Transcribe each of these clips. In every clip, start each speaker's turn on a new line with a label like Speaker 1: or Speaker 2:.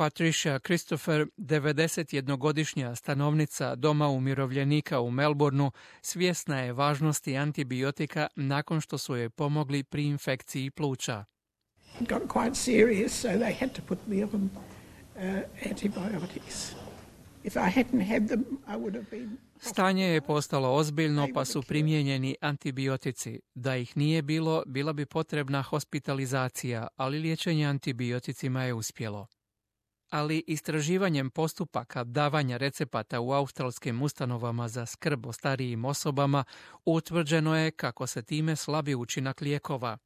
Speaker 1: Patricia Christopher, 91-godišnja stanovnica Doma umirovljenika u Melbourneu, svjesna je važnosti antibiotika nakon što su joj pomogli pri infekciji pluća.
Speaker 2: It got quite serious, so they had to put me on antibiotics. If I hadn't had them, I would have been...
Speaker 1: Stanje je postalo ozbiljno, pa su primijenjeni antibiotici. Da ih nije bilo, bila bi potrebna hospitalizacija, ali liječenje antibioticima je uspjelo. Ali istraživanjem postupaka davanja recepata u australskim ustanovama za skrb o starijim osobama utvrđeno je kako se time slabi učinak lijekova.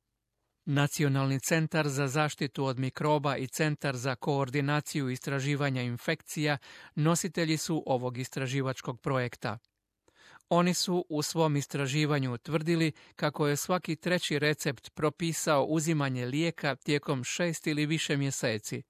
Speaker 1: Nacionalni centar za zaštitu od mikroba i Centar za koordinaciju istraživanja infekcija nositelji su ovog istraživačkog projekta. Oni su u svom istraživanju utvrdili kako je svaki treći recept propisao uzimanje lijeka tijekom 6 ili više mjeseci.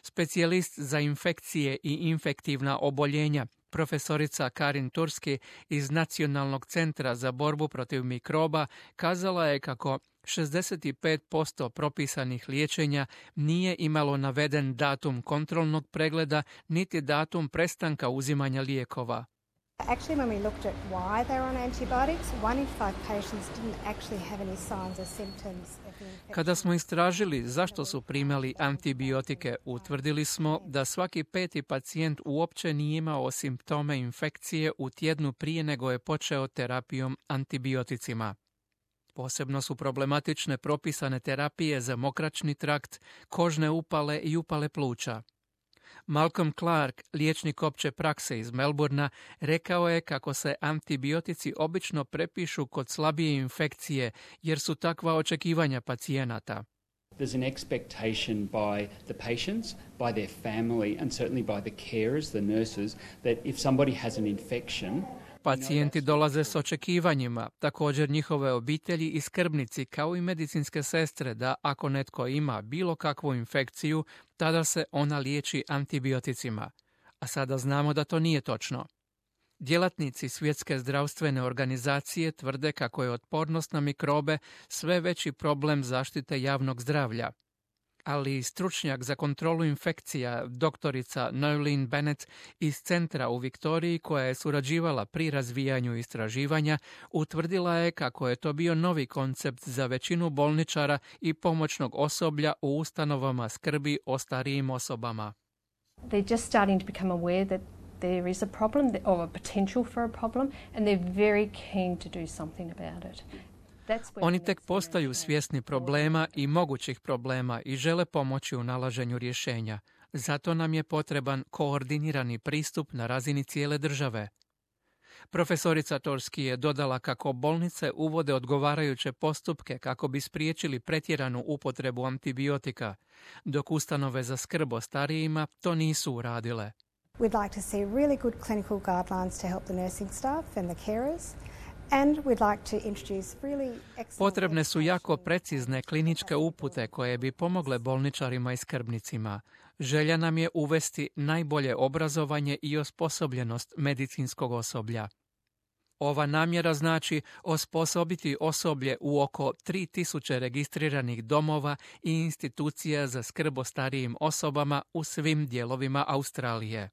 Speaker 1: Specijalist za infekcije i infektivna oboljenja, profesorica Karin Turski iz Nacionalnog centra za borbu protiv mikroba, kazala je kako 65% propisanih liječenja nije imalo naveden datum kontrolnog pregleda niti datum prestanka uzimanja lijekova.
Speaker 3: Actually, when we looked at why they were on antibiotics, 1 in 5 patients didn't actually have any signs or symptoms of the infection.
Speaker 1: Kada smo istražili zašto su primali antibiotike, utvrdili smo da svaki 5. pacijent uopće nije imao simptome infekcije u tjednu prije nego je počeo terapijom antibioticima. Posebno su problematične propisane terapije za mokraćni trakt, kožne upale i upale pluća. Malcolm Clark, liječnik opće prakse iz Melbournea, rekao je kako se antibiotici obično prepišu kod slabije infekcije jer su takva očekivanja pacijenata.
Speaker 4: There's an expectation by the patients, by their family and certainly by the carers, the nurses, that if somebody has an infection,
Speaker 1: pacijenti dolaze s očekivanjima, također njihove obitelji i skrbnici kao i medicinske sestre da ako netko ima bilo kakvu infekciju, tada se ona liječi antibioticima. A sada znamo da to nije točno. Djelatnici Svjetske zdravstvene organizacije tvrde kako je otpornost na mikrobe sve veći problem zaštite javnog zdravlja. Ali stručnjak za kontrolu infekcija, doktorica Noeline Bennett iz centra u Viktoriji, koja je surađivala pri razvijanju istraživanja, utvrdila je kako je to bio novi koncept za većinu bolničara i pomoćnog osoblja u ustanovama skrbi o starijim osobama.
Speaker 5: They're just starting to become aware that there is a problem or a potential for a problem and they're very keen to do something about it.
Speaker 1: Oni tek postaju svjesni problema i mogućih problema i žele pomoći u nalaženju rješenja. Zato nam je potreban koordinirani pristup na razini cijele države. Profesorica Torski je dodala kako bolnice uvode odgovarajuće postupke kako bi spriječili pretjeranu upotrebu antibiotika, dok ustanove za skrb o starijima to nisu uradile.
Speaker 3: We'd like to see really good clinical guidelines to help the nursing staff and the carers.
Speaker 1: Potrebne su jako precizne kliničke upute koje bi pomogle bolničarima i skrbnicima. Želja nam je uvesti najbolje obrazovanje i osposobljenost medicinskog osoblja. Ova namjera znači osposobiti osoblje u oko 3000 registriranih domova i institucija za skrb o starijim osobama u svim dijelovima Australije.